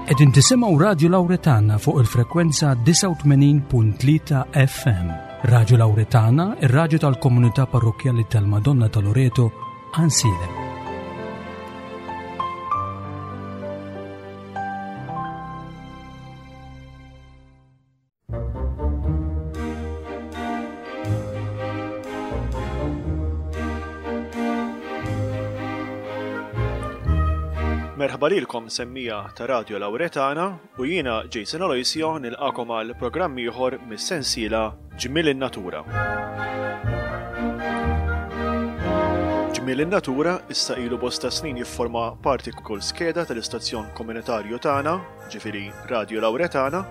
Qegħdin tisimgħu Radju Lawretana fuq il-frekwenza 89.3 FM. Radju Lawretana, ir-radju tal-komunità parrokkjali tal-Madonna ta' Loreto, Ansilem. Merħba lilkom semmija ta' Radio Lauretana u jiena Jason Aloisio nilqakom għal programm ieħor mis-sensiela Ġmiel in-Natura. Ġmiel in-Natura issa ilu bosta snin jifforma parti kull skeda tal-istazzjon komunitarju tagħna, ġifieri Radio Lauretana,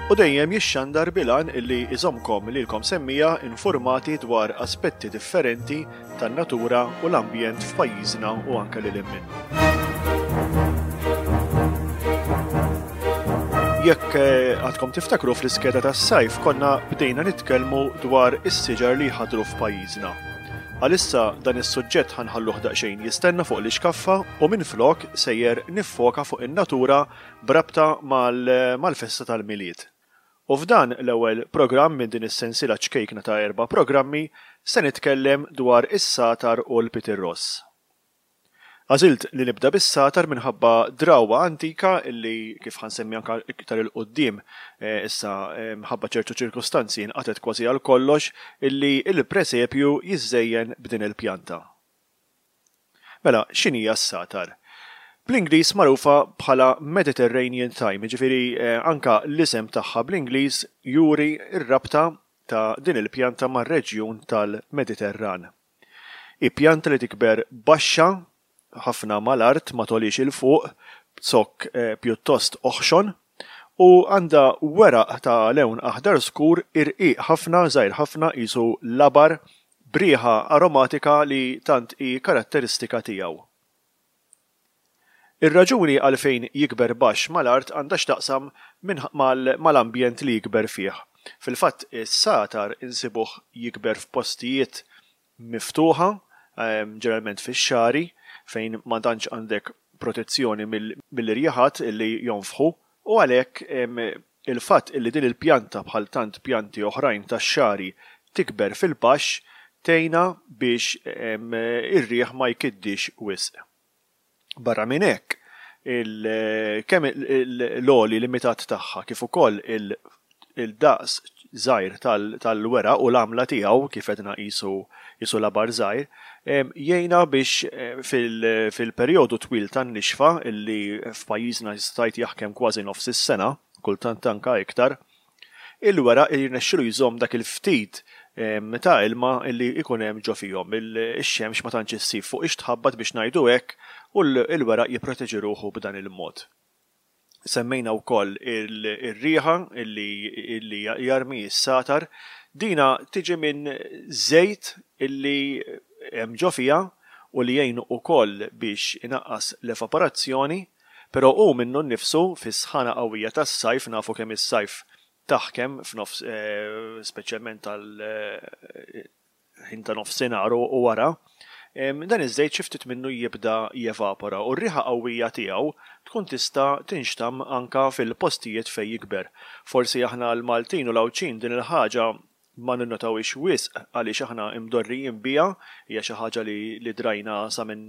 U dejjem jixxandar bil-għan illi iżommkom lilkom semmija informati dwar aspetti differenti tan-natura u l-ambjent f'pajjiżna u anke lil hinn minnu. Jekk eh, għadkom tiftakru fl-iskeda tas-sajf konna bdejna nitkellmu dwar is-siġar li jħadru f'pajjiżna. Għalissa dan is-suġġett ħanħalluh daqsxejn jistenna fuq l-ixkaffa u minflok sejjer niffoka fuq in-natura b'rabta mal-festa tal-Milied. U f'dan l-ewwel programm minn din is-sensiela ċkejkna ta' erba' programmi se nitkellem dwar is-sagħtar u l-pitirross. Għażilt li nibda bis-sagħtar minħabba drawwa antika li, kif ħa nsemmi anke iktar 'il quddiem, issa mħabba ċertu ċirkustanzi nqatgħet kważi għal kollox, illi l-presepju jiżżejjen b'din il-pjanta. Mela, x'inhija s-sagħtar? Bl-Ingliż magħrufa bħala Mediterranean thyme, jiġifieri anke l-isem tagħha bl-Ingliż juri r-rabta ta' din il-pjanta mar-reġjun tal-Mediterran. Hi pjanta li tikber baxxa ħafna mal-art, ma togħliex 'il fuq, b'zokk pjuttost oħxon, u għandha weraq ta' lewn aħdar skur irqiq ħafna, żgħir ħafna qisu labar, b'riħa aromatika li tant hi karatteristika tiegħu. Ir-raġuni għalfejn jikber baxx mal-art għandha x'taqsam mal-ambjent li jikber fih. Fil-fatt is-sagħtar insibuh jikber f'postijiet miftuħa, ġeneralment fix-xagħri, fejn ma tantx għandek protezzjoni mill-irjiħat li jonfħu u għalhekk il-fatt li din il-pjanta bħal tant pjanti oħrajn tax-xagħri tikber fil-baxx tgħinha biex ir-riħ ma jkiddix wisq. Barra minn hekk, kemm l-għoli limitat tagħha kif ukoll il-daqs żgħir tal-weraq u l-għamla tiegħu kif għedna qisu qisu labar żgħir, jgħinha biex fil-perjodu twil tan-nixfa li f'pajjiżna jista' tgħid jaħkem kważi nofs is-sena, kultant anke iktar, il-weraq jirnexxilu jżomm dak il-ftit ta' ilma li jkun hemm ġo fihom. Ix-xemx ma tantx issib fuqhiex tħabbat biex ngħidu hekk u l-weraq jipproteġi ruħu b'dan il-mod. Semmejna wkoll ir-riħa li jarmi s-sagħtar. Dina tiġi minn żejt li hemm ġo fiha u li jgħin ukoll biex inaqqas l-evaporazzjoni. Però hu minnu nnifsu, fis-sħana qawwija tas-sajf, nafu kemm is-sajf taħkem f'nofs, speċjalment tal-ħin ta' nofsinhar u wara, dan iż-żejt xi ftit minnu jibda jevapora u r-riħa qawwija tiegħu tkun tista' tinxtamm anke fil-postijiet fejn jikber. Forsi aħna l-Maltin u l-Għawdxin din il-ħaġa ma ninnotawhiex wisq għaliex aħna imdorrijin biha, hija xi ħaġa li li drajna sa minn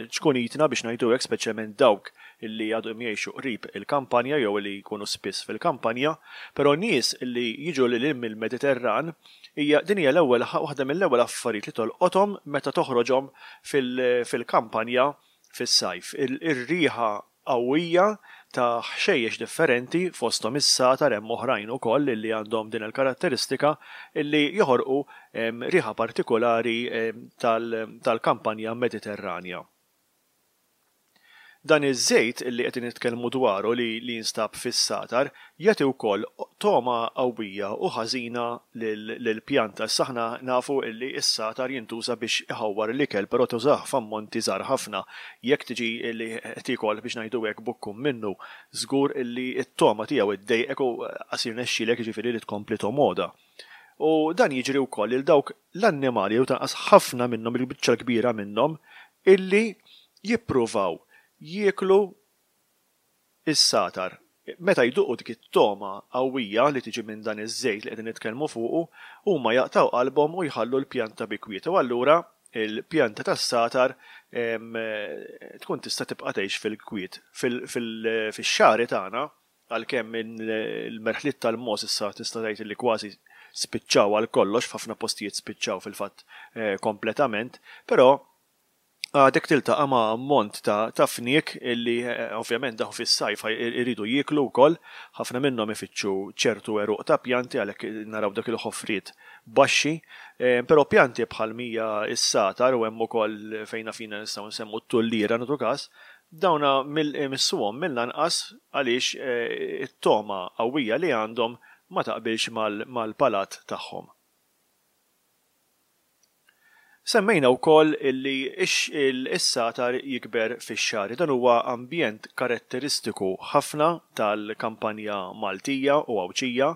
ċkunitna biex ngħidu hekk, speċjalment dawk li għadhom jgħixu qrib il-kampanja jew li jkunu spiss fil-kampanja, però nies li jiġu lil hinn mill-Mediterran hija din hija l-ewwel waħda mill-ewwel affarijiet li tolqothom meta toħroġhom fil-kampanja fis-sajf. Ir-riħa qawwija ta' ħxejjex differenti, fosthom is-sagħtar, hemm oħrajn ukoll li għandhom din il-karatteristika li joħorqu riħa partikulari tal-kampanja Mediterranja. Dan iż-żejt li qegħdin nitkellmu dwaru li jinstab fis-sagħtar jagħti wkoll togħma qawwija u ħażina lill-pjanta. Issa aħna nafu li s-sagħtar jintuża biex iħawwar l-ikel, però tużah f'ammonti żgħar ħafna. Jekk tiġi li tiekol biex ngħidu hekk bukkun minnu, żgur li t-togħma tiegħu ddejqek u qas jirnexxielek jiġifieri li tkompli tomgħodha. U dan jiġri wkoll lil dawk l-annimali, jew tanqas ħafna minnhom, il-biċċa l-kbira minnhom, illi jippruvaw jieklu. is-satar. Meta jduqu dik it-togħma qawwija li tiġi minn dan iż-żejt li qegħdin nitkellmu fuqu, huma jaqtgħu qalbhom u jħallu l-pjanta bi kwiet u allura l-pjanta tas-satar tkun tista' tibqa' tgħix fil-kwiet. Fix-xagħri tagħna, għalkemm il-merħliet tal-mogħoż issa tista' tgħid li kważi spiċċaw għal kollox, f'ħafna postijiet spiċċaw fil-fatt kompletament, però għadek tiltaqa' ma' ammont ta' ta' fniek illi ovvjament dawn fis-sajf iridu jieklu wkoll. Ħafna minnhom ifittxu ċertu għeruq ta' pjanti għalhekk naraw dak il-ħofriet baxxi. Però pjanti bħal mija s-satar u hemm ukoll fejn naf jiena nistgħu nsemmu t-tulliera nagħtu każ, dawna imissuhom mill-anqas għaliex it-togħma qawwija li għandhom ma taqbilx mal-palat tagħhom. Semmejna wkoll illi is-satar jikber fix-xagħri. Dan huwa ambjent karatteristiku ħafna tal-kampanja Maltija u Għawdxija.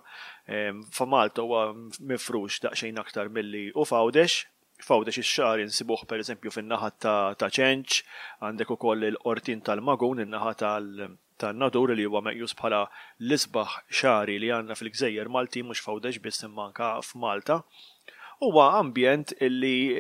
F'Malta huwa mifrux daqsxejn aktar milli hu f'Għawdex. F'Għawdex ix-xagħri nsibuh pereżempju fin-naħa ta' Ċenċ, għandek ukoll il-Qortin tal-Magun, in-naħa tal tan-Nadur li huwa meqjus bħala l-isbaħ xagħri li għandna fil-gżejjer Maltin mhux f'Għawdex biss imma anke f'Malta, huwa ambjent li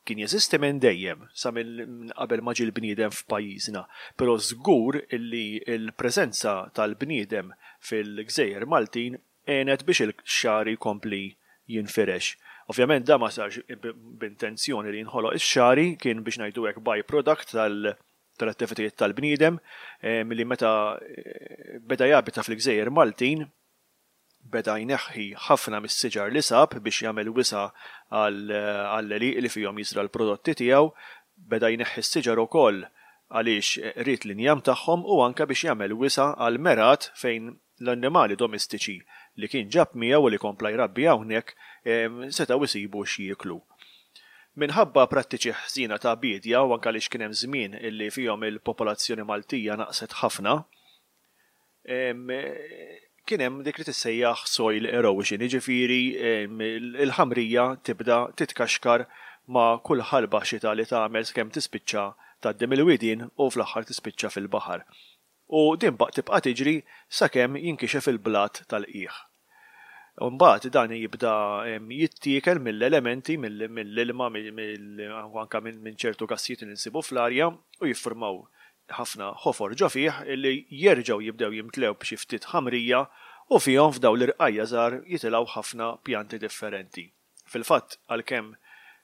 kien jeżisti minn dejjem, sa minn qabel ma ġie l-bniedem f'pajjiżna, però żgur li l-preżenza tal-bniedem fil-gżejjer Maltin għenet biex il-xagħri jkompli jinfirex. Ovvjament dan ma sarx b'intenzjoni li jinħoloq ix-xagħri, kien biex ngħidu hekk by-product tal tal-attivitajiet tal-bniedem li meta beda jabita fil-gżejjer Maltin beda jneħħi ħafna mis-siġar li sab biex jagħmel wisa' għall-għelieqi li fihom jiżra' l-prodotti tiegħu, beda jneħħi s-siġar ukoll għaliex ried l-injam tagħhom u anke biex jagħmel wisa' għall-mergħat fejn l-annimali domestiċi li kien ġab miegħu u li kompla jrabbi hawnhekk setgħu jsibu x'jieklu. Minħabba prattiċi ħżiena ta' biedja u anke għaliex kien hemm żmien li fihom il-popolazzjoni Maltija naqset ħafna, kien hemm dik li tissejjaħ soil erosion, jiġifieri l-ħamrija tibda titkaxkar ma' kull ħalba xita li tagħmel sakemm tispiċċa tgħaddi mill-widien u fl-aħħar tispiċċa fil-baħar. U din baq tibqa' tiġri sakemm jinkixef il-blat tal-qiegħ. U mbagħad dan jibda jittiekel mill-elementi, mill-ilma, u anke minn ċertu gassijiet li nsibu fl-arja u jiffurmaw ħafna ħofor ġo fih li jerġgħu jibdew jimtlew b'xi ftit ħamrija u fihom f'dawn l-irqajja' żgħar jitilgħu ħafna pjanti differenti. Fil-fatt, għalkemm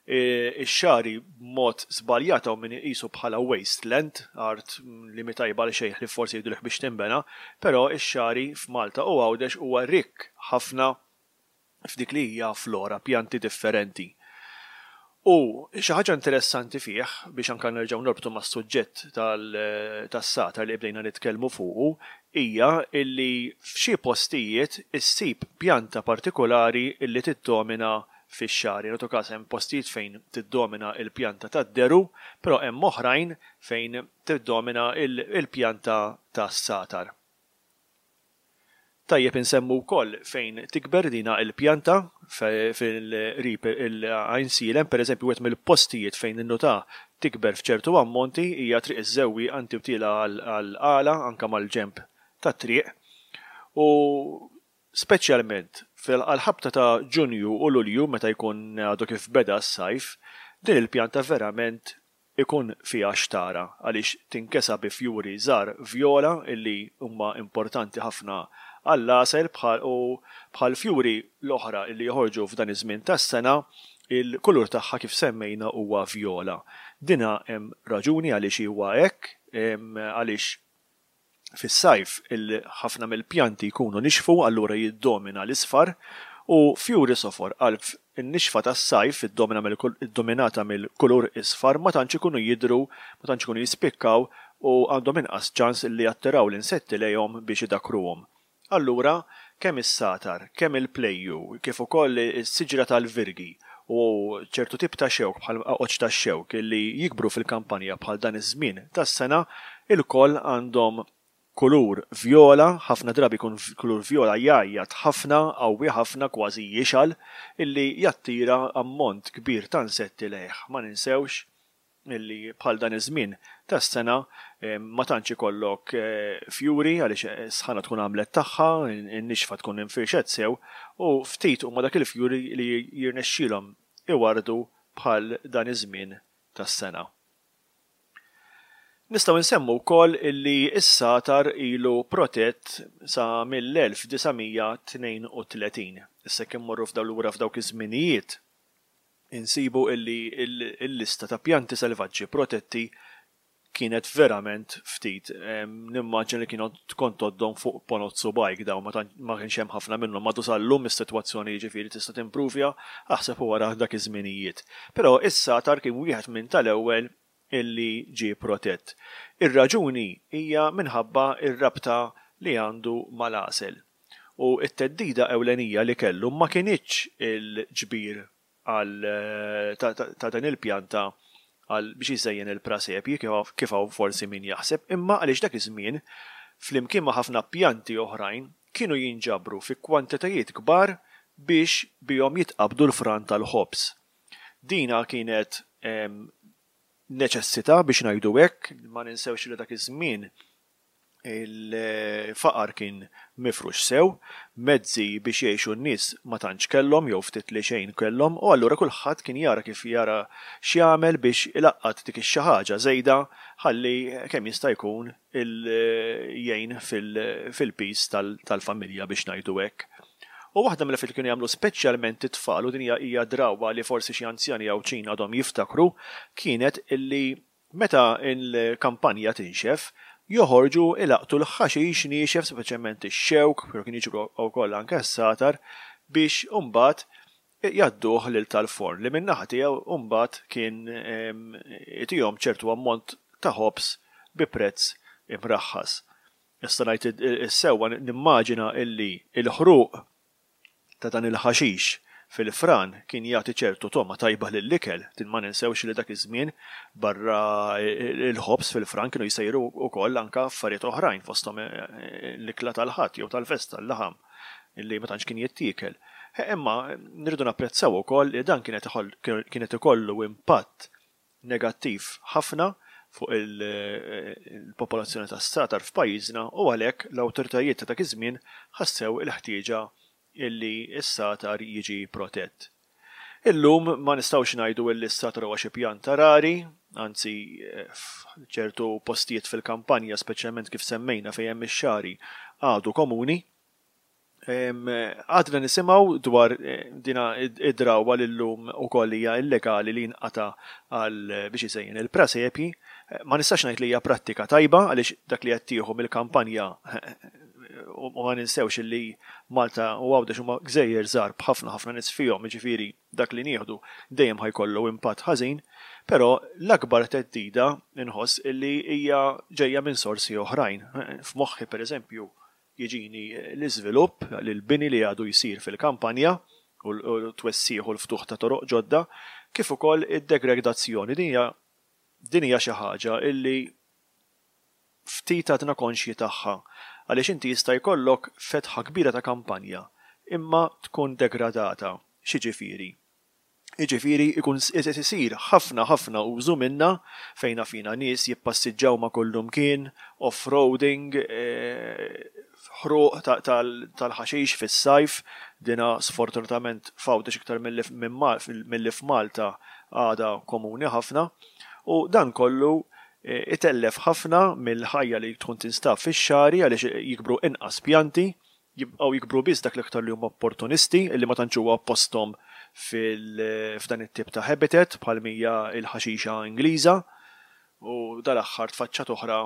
ix-xagħri b'mod żbaljat hawn min iqisu bħala wasteland, art li mhi tajba għal xejn ħlief forsi jgħidulek biex tinbena, però x-xagħri f'Malta u Għawdex huwa rikk ħafna f'dik li hija flora, pjanti differenti. U xi ħaġa interessanti fih, biex anke nerġgħu norbtu mas-suġġett tas-satar li bdejna nitkellmu fuqu, hija illi f'xi postijiet issib pjanta partikulari illi tiddomina fix-xagħri. Nagħtu każ hemm postijiet fejn tiddomina l-pjanta tad-deru, però hemm oħrajn fejn tiddomina l-pjanta tas-satar. Tajjeb insemmu wkoll fejn tikber dina il-pjanta fil-qrib il-Għajnsielem, pereżempju wieħed mill-postijiet fejn ninnutah tikber f'ċertu ammonti hija Triq iż-Żewwieqa inti u tiela' għall-Qala anke mal-ġenb tat-triq u speċjalment għall-ħabta ta' Ġunju u Lulju meta jkun għadu kif beda s-sajf, din il-pjanta verament ikun fiha x'tara għaliex tinkesa bi fjuri żgħar vjola illi huma importanti ħafna għall-għasel bħal u bħall-fjuri l-oħra illi joħorġu f'dan iż-żmien tas-sena il-kulur tagħha kif semmejna huwa vjola. Dina hemm raġuni għaliex huwa hekk għaliex Fis-sajf ħafna mill-pjanti jkunu nixfu allura jiddomina l-isfar u fjuri sofor qalb in-nixfa tas-sajf iddominata mill-kulur isfar ma tantx ikunu jidhru, ma tantx ikunu jispikkaw u għandhom inqas ċans li jattiraw l-insetti lejhom biex idakkruhom. Allura, kemm is-sagħtar, kemm il-plejju, kif ukoll is-siġra tal-virgi u ċertu tip ta' xewk bħal qaqoċċ tax-xewk li jikbru fil-kampanja bħal dan iż-żmien tas-sena, ilkoll għandhom kulur vjola, ħafna drabi jkun kulur vjola jgħajjat ħafna, qawwi ħafna, kważi jixgħal, illi jattira ammont kbir ta' insetti lejh. Ma ninsewx. illi bħal dan iż-żmien tas-sena ma tantx ikollok fjuri għaliex is-sħana tkun għamlet tagħha, in-nixfa tkun infirxet sew u ftit huma dak il-fjuri li jirnexxielhom iwarrdu bħal dan iż-żmien tas-sena. Nistgħu nsemmu wkoll illi s-sagħtar ilu protett sa mill-1932. Issa jekk immorru f'daw lura f'dawk iż-żminijiet, insibu illi l-lista ta' pjanti selvaġġi protetti kienet verament ftit. Nimmaġina li kienu kont tgħoddhom fuq ponot subgħajk dawn ma ma kienx hemm ħafna minnhom. Għadu sal-lum is-sitwazzjoni jiġifieri tista' timpruvja aħseb u ara dak iż-żminijiet. Però is-sagħtar kien wieħed minn tal-ewwel illi ġie protett. Ir-raġuni hija minħabba r-rabta li għandu mal-għasel. U t-theddida ewlenija li kellu ma kinitx il-ġbir għal ta' din il-pjanta għal biex iżejjen il-prasepji kif hawn forsi min jaħseb, imma għaliex dak iż-żmien, flimkien ma' ħafna pjanti oħrajn, kienu jinġabru fi kwantitajiet kbar biex bihom jitqabbdu l-fran tal-ħobż. Dina kienet neċessità biex ngħidu hekk, ma ninsewx li dak iż-żmien Il-faqar kien mifrux sew, mezzi biex jgħixu n-nies ma tantx kellhom jew ftit li xejn kellhom u allura kulħadd kien jara kif jara x'jagħmel biex ilaqqat dik ix-xi ħaġa żejda ħalli kemm jista' jkun jgħin fil-piż tal-familja biex ngħidu hekk. U waħda mill-affarijiet li kienu jagħmlu speċjalment it-tfal, u din hija drawwa li forsi xi anzjani Għawdxin għadhom jiftakru, kienet illi Meta l-kampanja tinxef, joħorġu ilaqqtu l-ħaxix niexef, speċjalment ix-xewk, però kien jiġbru wkoll anke s-sagħtar, biex imbagħad jgħadduh lil tal-forn li min-naħa tiegħu mbagħad kien itihom ċertu ammont ta' ħobż bi prezz imraħħas. Issa ngħid is-sewwa nimmaġina illi l-ħruq ta' dan il-ħaxix fil-fran kien jagħti ċertu togħma tajba lill-ikel, din ma ninsewx li dak iż-żmien barra l-ħobż fil-fran kienu jsejru wkoll anke affarijiet oħrajn fosthom l-ikla tal-Ħadd jew tal-festa, l-laħam li ma tantx kien jittiekel. Imma nridu napprezzaw ukoll li dan kienet kienet ikollu impatt negattiv ħafna fuq il-popolazzjoni tas-satar f'pajjiżna u għalhekk l-awtoritajiet ta' dak iż-żmien ħassew il-ħtieġa illi s-satar jiġi protett. Illum ma nistgħux ngħidu illi s-satar huwa xi pjanta rari, anzi f'ċertu postijiet fil-kampanja speċjalment kif semmejna fejn hemm ix-xagħri għadu komuni. Għadna nisimgħu dwar dina id-drawwa li llum ukoll hija illegali li jinqata' għal biex iżejjen il-prasepji. Ma nistax ngħid li hija prattika tajba għaliex dak li qed tieħu mill-kampanja u ma ninsewx li Malta u Għawdex huma gżejjer żgħar b'ħafna ħafna nies fihom, jiġifieri dak li nieħdu dejjem ħa jkollu impatt ħażin, però l-akbar theddida nħoss li hija ġejja minn sorsi oħrajn. F'moħħi pereżempju Jiġini l-iżvilupp, l-bini li għadu jsir fil-kampanja u t-twessigħ u l-ftuħ ta' toroq ġodda, kif ukoll id-degredazzjoni. Din hija din hija xi ħaġa illi ftit għadna konxji tagħha għaliex inti jista' jkollok fetħa kbira ta' kampanja imma tkun degradata. X'jiġifieri? Jiġifieri jkun qed isir ħafna ħafna użu minnha fejn naf jiena nies jippassiġġaw ma' kullumkien, off-roading, ħruq tal-ħaxix fis-sajf, dina sfortunatament f'Għawdex iktar milli f'Malta għadha komuni ħafna, u dan kollu itellef ħafna mill-ħajja li tkun tinstab fix-xagħri għaliex jikbru inqas pjanti, Jibqgħu jikbru biss dak l-iktar li huma opportunisti, li ma tantx huwa posthom f'dan it-tip ta' habitat bħal m'hija l-ħaxixa Ingliża. U dal-aħħar tfaċċat oħra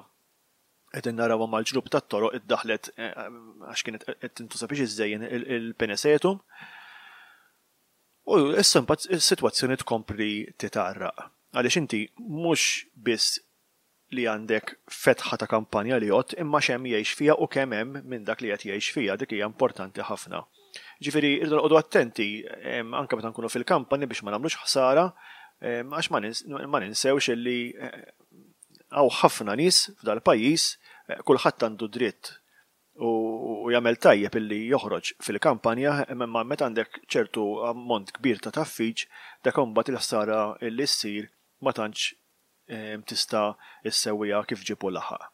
qegħdin narawha mal-ġnub tat-toroq iddaħħlet għax kienet qed tintuża biex iżżejjen il-Penesetum. U issa imbagħad is-sitwazzjoni tkompli titgħarraq. Għaliex inti mhux biss li għandek fetħa ta' kampanja li jgħodd imma x'hemm jgħix fiha u kemm hemm minn dak li qed jgħix fiha, dik hija importanti ħafna. Ġifieri rridu noqogħdu attenti anke meta nkunu fil-kampani biex ma nagħmlux ħsara għax ma ninsewx illi hawn ħafna nies f'dal-pajjiż, kulħadd għandu dritt u jagħmel tajjeb illi joħroġ fil-kampanja imma meta għandek ċertu ammont kbir ta' tgħaffiġ dak imbagħad il-ħsara li ssir ma tantx. tista' issewwiha kif ġieb u laħaq.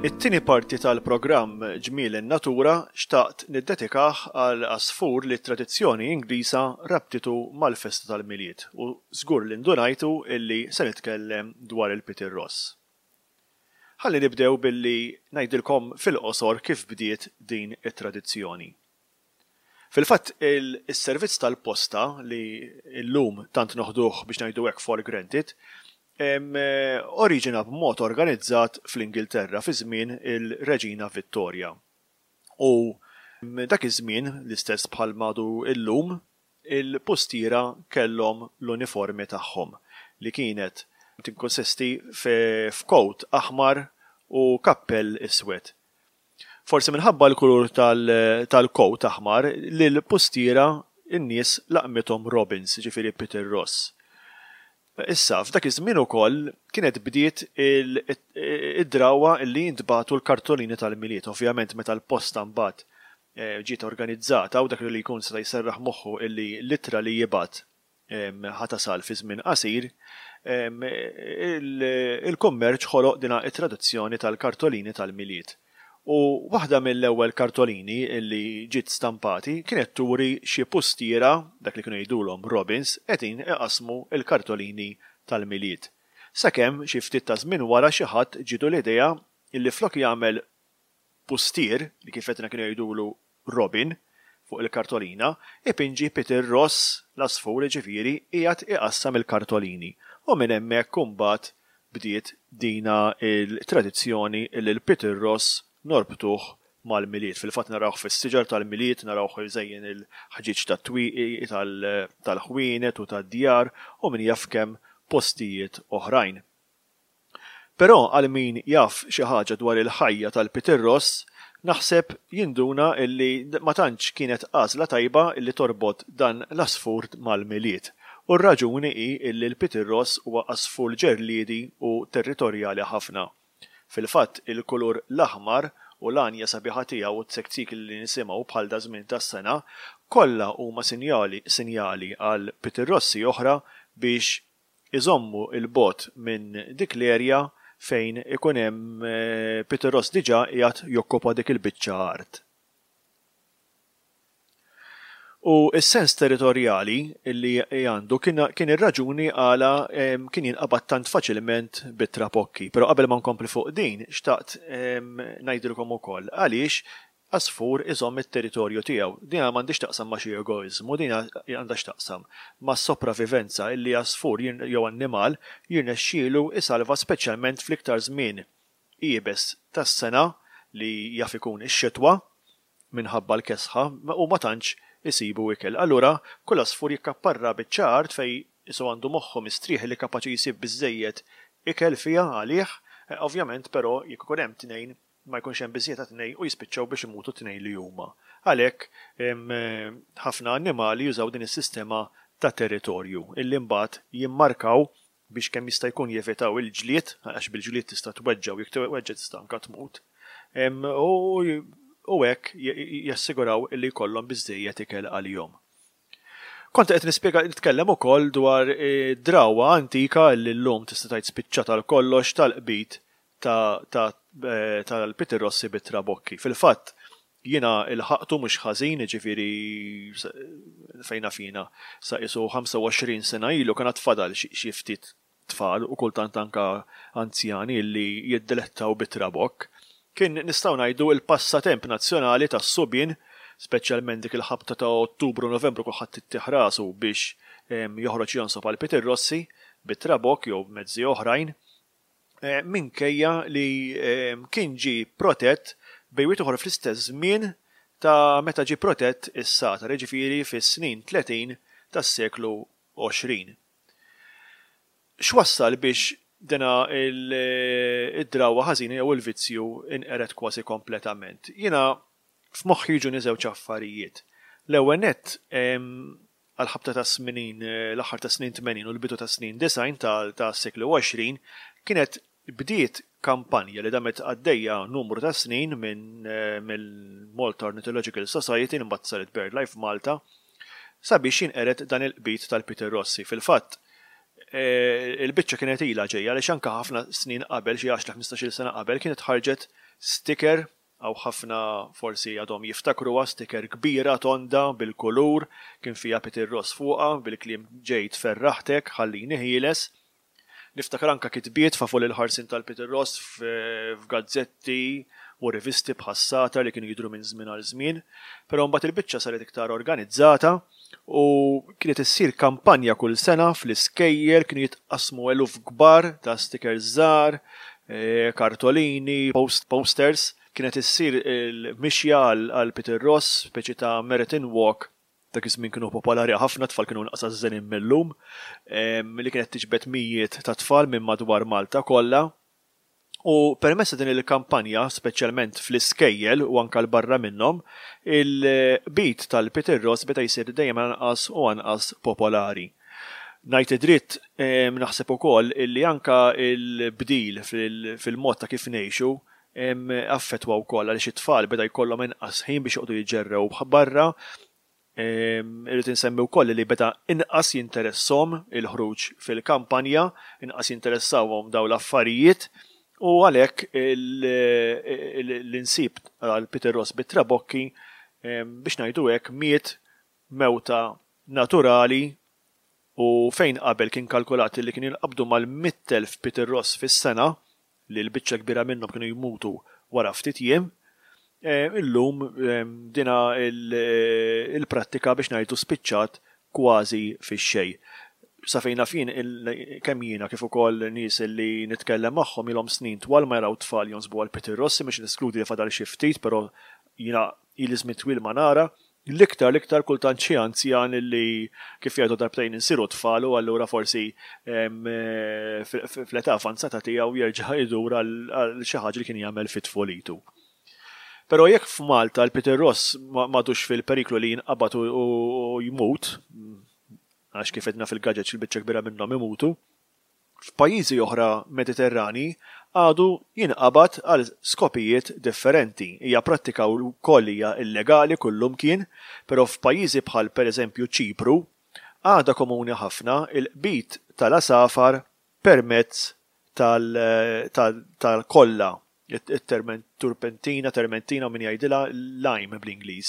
It-tieni parti tal-programm Ġmiel in-Natura xtaqt niddedikah għal għasfur li t-tradizzjoni Ingliża rabtitu mal-festa tal-Milied u żgur li ndunajtu illi se nitkellem dwar il-pitirross. Ħalli nibdew billi ngħidilkom fil-qosor kif bdiet din it-tradizzjoni. Fil-fatt, is-servizz tal-posta li llum tant noħduh biex ngħidu hekk for granted, oriġina b'mod organizzat fl-Ingilterra fi żmien il-Reġina Vittorja. U dak iż-żmien, l-istess bħal m'għadu llum, il-pustiera kellhom l-uniformi tagħhom li kienet tikkonsisti f'kowt aħmar u kappell iswed. Forsi minħabba l-kulur tal-kowt aħmar, lill-pustiera n-nies laqmithom Robins, jiġifieri Peter Ross. Issa, f'dak iż-żmien ukoll kienet bdiet id-drawwa li jintbagħtu l-kartolini tal-Milied. Ovvjament meta l-posta mbagħad ġiet organizzata u dak li jkun seta' jserraħ moħħu illi l-ittra li jibgħat ħa tasal fi żmien qasir, il-kummerċ ħoloq din it-traduzzjoni tal-kartolini tal-Milied. U waħda mill-ewwel kartolini li ġiet stampati kienet turi xi pustiera, dak li kienu jgħidulhom robins, qegħdin iqassmu l-kartolini tal-Milied. Sakemm xi ftit ta' żmien wara xi ħadd ġietu l-idea li flok jagħmel pustier, li kif għedna kienu jgħidulu Robin, fuq il-kartolina, ipinġi Peter Ross, l-għasfur jiġifieri, qiegħed iqassam il-kartolini. U minn hemmhekk imbagħad bdiet dina l-tradizzjoni li l-Peter Ross norbtuh mal-Milied. Fil-fatt narawh fis-siġar tal-Milied, narawh iżejjen il-ħġieġ tat-twieqi, tal-ħwienet u tad-djar u min jaf kemm postijiet oħrajn. Però għal min jaf xi ħaġa dwar il-ħajja tal-pitirross, naħseb jinduna illi ma tantx kienet għażla tajba illi torbot dan l-għasfur mal-Milied. U r-raġuni hi illi l-pitirross huwa għasfur ġerliedi u territorjali ħafna. Fil-fatt il-kulur l-aħmar u l-għanja sabiħa tiegħu u t-tsektsik li nisimgħu bħal daż-żmien tas-sena, kollha huma sinjali sinjali għal pitirrossi oħra biex iżommu 'l bogħod minn dik l-erja fejn ikun hemm Peter Ross diġà qiegħed jokkupa dik il-biċċa art. U s-sens territorjali li għandu kien ir-raġuni għala kien jinqabad tant faċilment bit-trapokki. Però qabel ma nkompli fuq din, xtaqt ngħidilkom ukoll għaliex Għasfur iżomm it-territorju tiegħu. Dina m'għandhiex x'taqsam ma' xi egoiżmu, din għandha x'taqsam mas-sopravivenza illi għasfur jew annimal jirnexxielu jsalva speċjalment fl-iktar żmien iebes tas-sena li jaf ikun ix-xitwa minħabba l-kesħa u ma tantx isibu ikel. Allura kull għasfur jikkapparra biċċa art fejn qisu għandu moħħu mistrieħ li kapaċi jsib biżżejjed ikel fiha għalih, ovvjament però jekk ikun hemm tnejn ma jkunx hemm biżżejjed għat-tnejn u jispiċċaw biex imutu t-tnejn li huma. Għalhekk, ħafna annimali jużaw din is-sistema ta' territorju, illi mbagħad jimmarkaw biex kemm jista' jkun jevitaw il-ġlied, għax bil-ġlied tista' tweġġa' u jekk tweġġa' tista' anke tmut. U u hekk jassiguraw li jkollhom biżżejjed ikel għalihom. Kont qed nispjega nitkellem ukoll dwar drawwa antika li llum tista' tgħid spiċċat għal kollox tal-qbid tal-pitirrossi bit-trabokki. Fil-fatt, jiena ilħaqtu mhux ħażin, jiġifieri fejn naf jiena, sa qisu 25 sena ilu kien għad fadal xi ftit tfal u kultant anke anzjani li jiddilettaw bit-trabokk. Kien nistgħu ngħidu l-passatemp nazzjonali tas-subien, speċjalment dik il-ħabta ta' Ottubru Novembru kulħadd ittih rasu biex joħroġ jonsob għal pitirrossi bit-trabokk jew b'mezzi oħrajn, minkejja li kien ġie protett bejn wieħed u ieħor fl-istess żmien ta' meta ġie protett is-sagħtar, jiġifieri fis-snin 30 tas-seklu 20. X'wassal biex dina id-drawwa ħażina jew il-vizzju inqered kważi kompletament? Jiena f'moħħi jiġuni żewġ affarijiet. L-ewwel nett, għall-ħabta tas-snin, l-aħħar tas-snin 80 u l-bidu tas-snin 90 tas-seklu 20, kienet bdiet kampanja li damet għaddejja numru ta' snin minn mill-Malta Ornithological Society li mbagħad saret BirdLife Malta sabiex jinqered dan il-qbid tal-Pitirrossi. Fil-fatt, il-biċċa kienet ilha ġejja għaliex anke ħafna snin qabel, xi għaxra ħmistax-il sena qabel, kienet ħarġet sticker, hawn ħafna forsi għadhom jiftakruha, sticker kbira tonda bil-kulur, kien fiha Pitirross fuqha bil-kliem ġejt ferraħtek, ħallini ħieles. Niftakar anke kitbiet favur il-ħarsien tal-Peter Ross f'gazzetti u rivisti bħas-Sagħtar li kienu jidhru minn żmien għal żmien. Però mbagħad il-biċċa saret iktar organizzata u kienet issir kampanja kull sena fl-iskejjel, kienu jitqassmu eluf kbar ta' stickers żgħar, kartolini, posters. Kienet issir il-mixja għal Peter Ross, speċi ta' marathon walk. Dak iż-żmien kienu popolari ħafna, tfal kienu inqas għażżenin mil-lum, li kienet tiġbed mijiet ta' tfal minn madwar Malta kollha. U permezz ta' din il-kampanja, speċjalment fl-iskejjel u anke 'l barra minnhom, il-qbid tal-pitirross beda jsir dejjem anqas u anqas popolari. Ngħid id-dritt, naħseb ukoll illi anke l-bdil fil-mod ta' kif ngħixu affettwa wkoll għaliex it-tfal beda jkollhom inqas ħin biex joqogħdu jiġġerrew barra. Irrid insemmi wkoll li beda inqas jinteresshom il-ħruġ fil-kampanja, inqas jinteressawhom dawn l-affarijiet u għalhekk l-insib għal Peter Ross bit-trabokki biex ngħidu hekk miet mewta naturali u fejn qabel kien kalkulat li kien jinqabdu mal-100,000 Peter Ross fis-sena, li l-biċċa l-kbira minnhom kienu jmutu wara ftit jiem, illum dina il-prattika biex ngħidu spiċċat kważi fix-xejn. Sa fejn naf jien, kemm jiena kif ukoll nies li nitkellem magħhom ilhom snin twal ma jaraw tfal jonsbu għal pitirrossi, mhux neskludi li fadal xi ftit, però jiena ili żmien twil ma nara. L-iktar l-iktar kultant xi anzjan li kif jgħidu darbtejn insiru tfal u allura forsi fl-età avanzata tiegħu jerġa' jdur għal xi ħaġa li kien jagħmel fi tfulitu. Però jekk f'Malta l-Peter Ross m'għadux fil-periklu li jinqabad u jmut, għax kif għedna fil-gaġeġ il-biċċa kbira minnhom imutu, F'pajjiżi oħra Mediterranji għadu jinqabad għal skopijiet differenti. Hija prattika wkoll hija illegali kullumkien, però f'pajjiżi bħal pereżempju Ċipru, għadha komuni ħafna l-qbid tal-għasafar permezz tal-kolla, it-turpentina, termentina u min jgħidilha lime bl-Ingliż.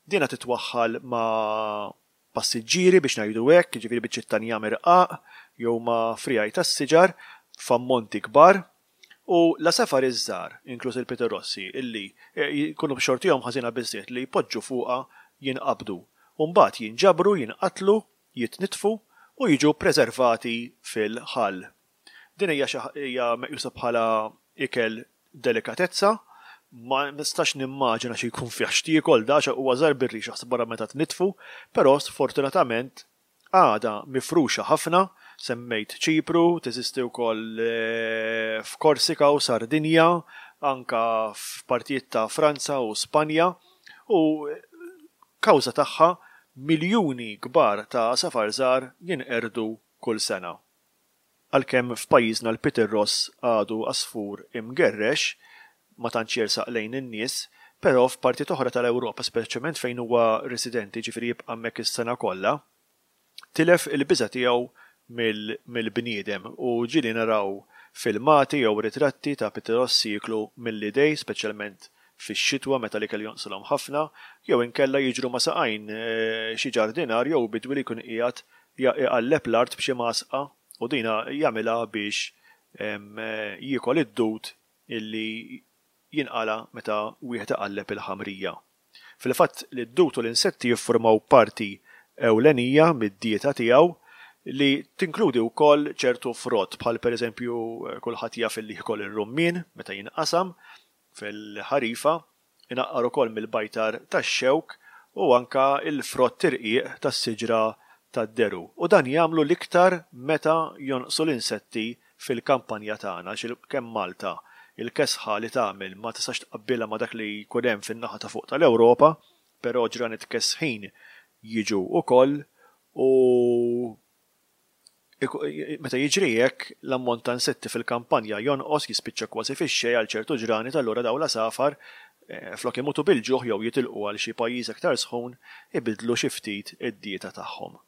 Dinha titwaħħal ma' passiġġieri biex ngħidu hekk, jiġifieri biċċiet ta' njam irqaq jew ma' friegħi tas-siġar f'ammonti kbar, u l-għasafar iż-żgħar, inkluż il-pitirossi, illi jkunu b'xortihom ħażina biżżejjed li jpoġġu fuqha jinqabdu u mbagħad jinġabru, jinqatlu, jitnitfu u jiġu ppreservati fil-ħall. Din hija xi hija meqjusa bħala ikel delikatezza. Ma nistax nimmaġina xi jkun fih x'tiekol da għax huwa żgħar bir-rix aħseb wara meta tnitfu, però sfortunatament għadha mifruxa ħafna, semmejt Ċipru, teżisti wkoll f'Korsika u Sardinja, anke f'partijiet ta' Franza u Spanja u kawża tagħha miljuni kbar ta' għasafar żgħar jinqerdu kull sena. Għalkemm f'pajjiżna l-pitirross għadu għasfur imgerrex, ma tantx jersaq lejn in-nies, Però f'partijiet oħra tal-Ewropa, speċjalment fejn huwa residenti, jiġifieri jibqa' hemmhekk is-sena kollha, tilef il-biża' tiegħu mill-bniedem u ġieli naraw filmati jew ritratti ta' pitirossi jieklu mill-idej, speċjalment fix-xitwa meta l-ikel jonqsilhom ħafna, jew inkella jiġru ma' saqajn xi ġardinar jew bidwi li jkun qiegħed iqalleb l-art b'xi mgħasqa u dina jagħmilha biex jiekol id-dud illi jinqala' meta wieħed iqalleb il-ħamrija. Fil-fatt l-dud u l-insetti jiffurmaw parti ewlenija mid-dieta tiegħu li tinkludi wkoll ċertu frott bħal pereżempju kulħadd jaf illi jiekol ir-rummien meta jinqasam fil-ħarifa, inaqqar ukoll mill-bajtar tax-xewk u anke l-frott irqiq tas-siġra tad-deru. U dan jagħmlu l-iktar meta jonqsu l-insetti fil-kampanja tagħna għax kemm Malta il-kesħa li tagħmel ma tistax tqabbilha ma' dak li jkun hemm fin-naħa ta' fuq tal-Ewropa, però ġranet kesħin jiġu wkoll u meta jiġri hekk l-ammont ta' insetti fil-kampanja jonqos jispiċċa kważi fix-xejn għal ċertu ġranet allura dawn l-għasafar flok imutu bil-ġuħ jew jitilqu għal xi pajjiż aktar sħun ibiddlu xi ftit id-dieta tagħhom.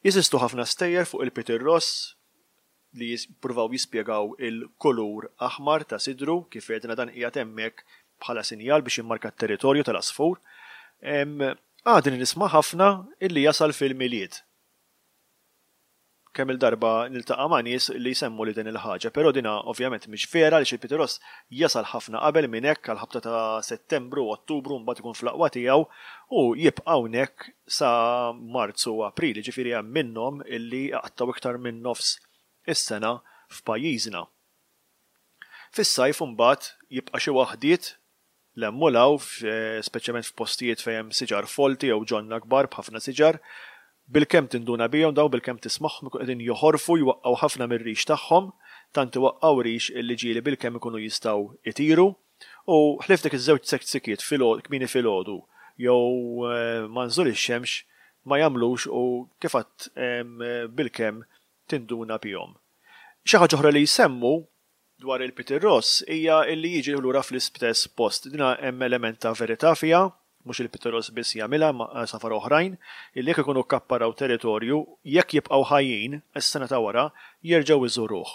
Jeżistu ħafna stejjer fuq il-Peter Ross li jippruvaw jispjegaw il-kulur aħmar ta' sidru, kif għedna dan qiegħed hemmhekk bħala sinjal biex jimmarka t-territorju tal-għasfur. Għadni nisma' ħafna illi jasal fil-Milied. Kemm-il darba niltaqa' ma' nies li jsemmuli din il-ħaġa, però dina ovvjament mhix vera għaliex il-Peter Ross jasal ħafna qabel minn hekk għall-ħabta ta' Settembru, Ottubru mbagħad ikun fl-aqwa tiegħu u jibqa' hawnhekk sa Marzu u April, jiġifieri hemm minnhom illi jqattgħu iktar minn nofs is-sena f'pajjiżna. Fis-sajf imbagħad jibqa' xi waħdiet 'l hemm u 'l hawn, speċjalment f'postijiet fejn hemm siġar folti jew ġonna kbar b'ħafna siġar. Bilkemm tinduna bihom dawn, bilkemm tismagħhom ikunu qegħdin joħorfu, jwaqqgħu ħafna mir-rix tagħhom, tant iwaqqgħu rix illi ġieli bilkemm ikunu jistgħu jtiru. U ħlief dik iż-żewġ tsektsikiet kmieni filgħodu jew ma' nżul ix-xemx ma jagħmlux u kif għedt bilkemm tinduna bihom. Xi ħaġa oħra li jsemmu dwar il-Peter Ross hija illi jiġi lura fl-istess post. Dina hemm element ta' verità fiha, mhux il-Peter Ross biss jagħmilha imma għasafar oħrajn, illi jekk ikunu kkapparaw territorju, jekk jibqgħu ħajjin, is-sena ta' wara jerġgħu jżuruh.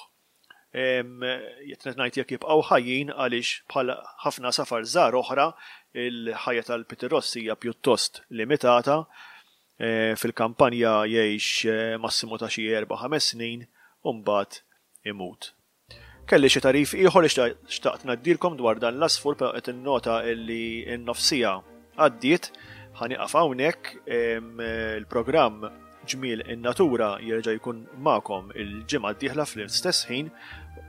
Qed ngħid jekk jibqgħu ħajjin għaliex bħal ħafna għasafar żgħar oħra, il-ħajja tal-Peter Ross hija pjuttost limitata. Fil-kampanja jgħix massimu ta' xi erba' ħames snin u mbagħad imut. Kelli xi tagħrif ieħor li xtaqt ngħaddilkom dwar dan l-għasfur però qed innota li n-nofsija għaddiet. Ħa nieqaf hawnhekk il-programm Ġmiel in-Natura jerġa' jkun magħkom il-ġimgħa d-dieħla fl-istess ħin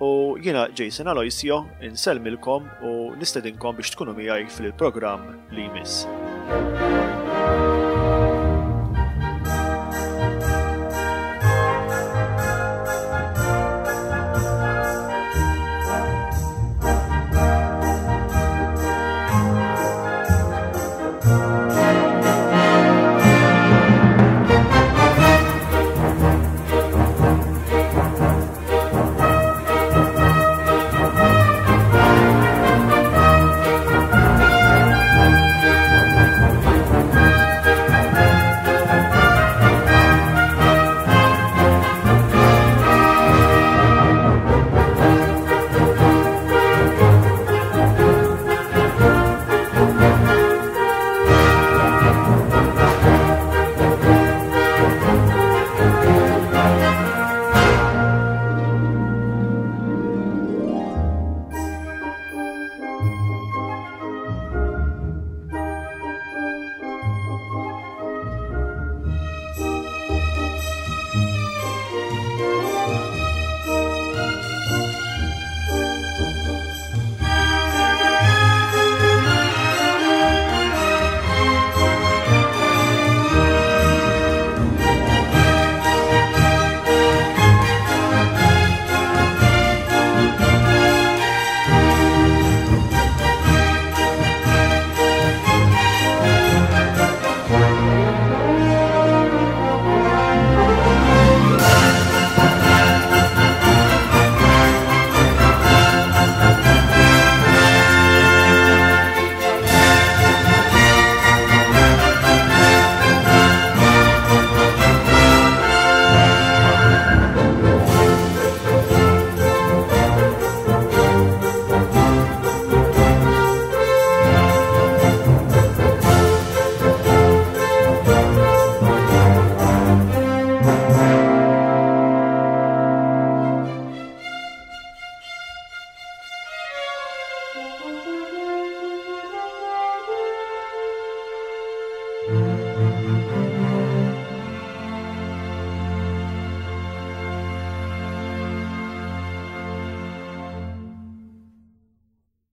u jiena Jason Aloisio insellmilkom u nistedinkom biex tkunu miegħi fil-programm li jmiss.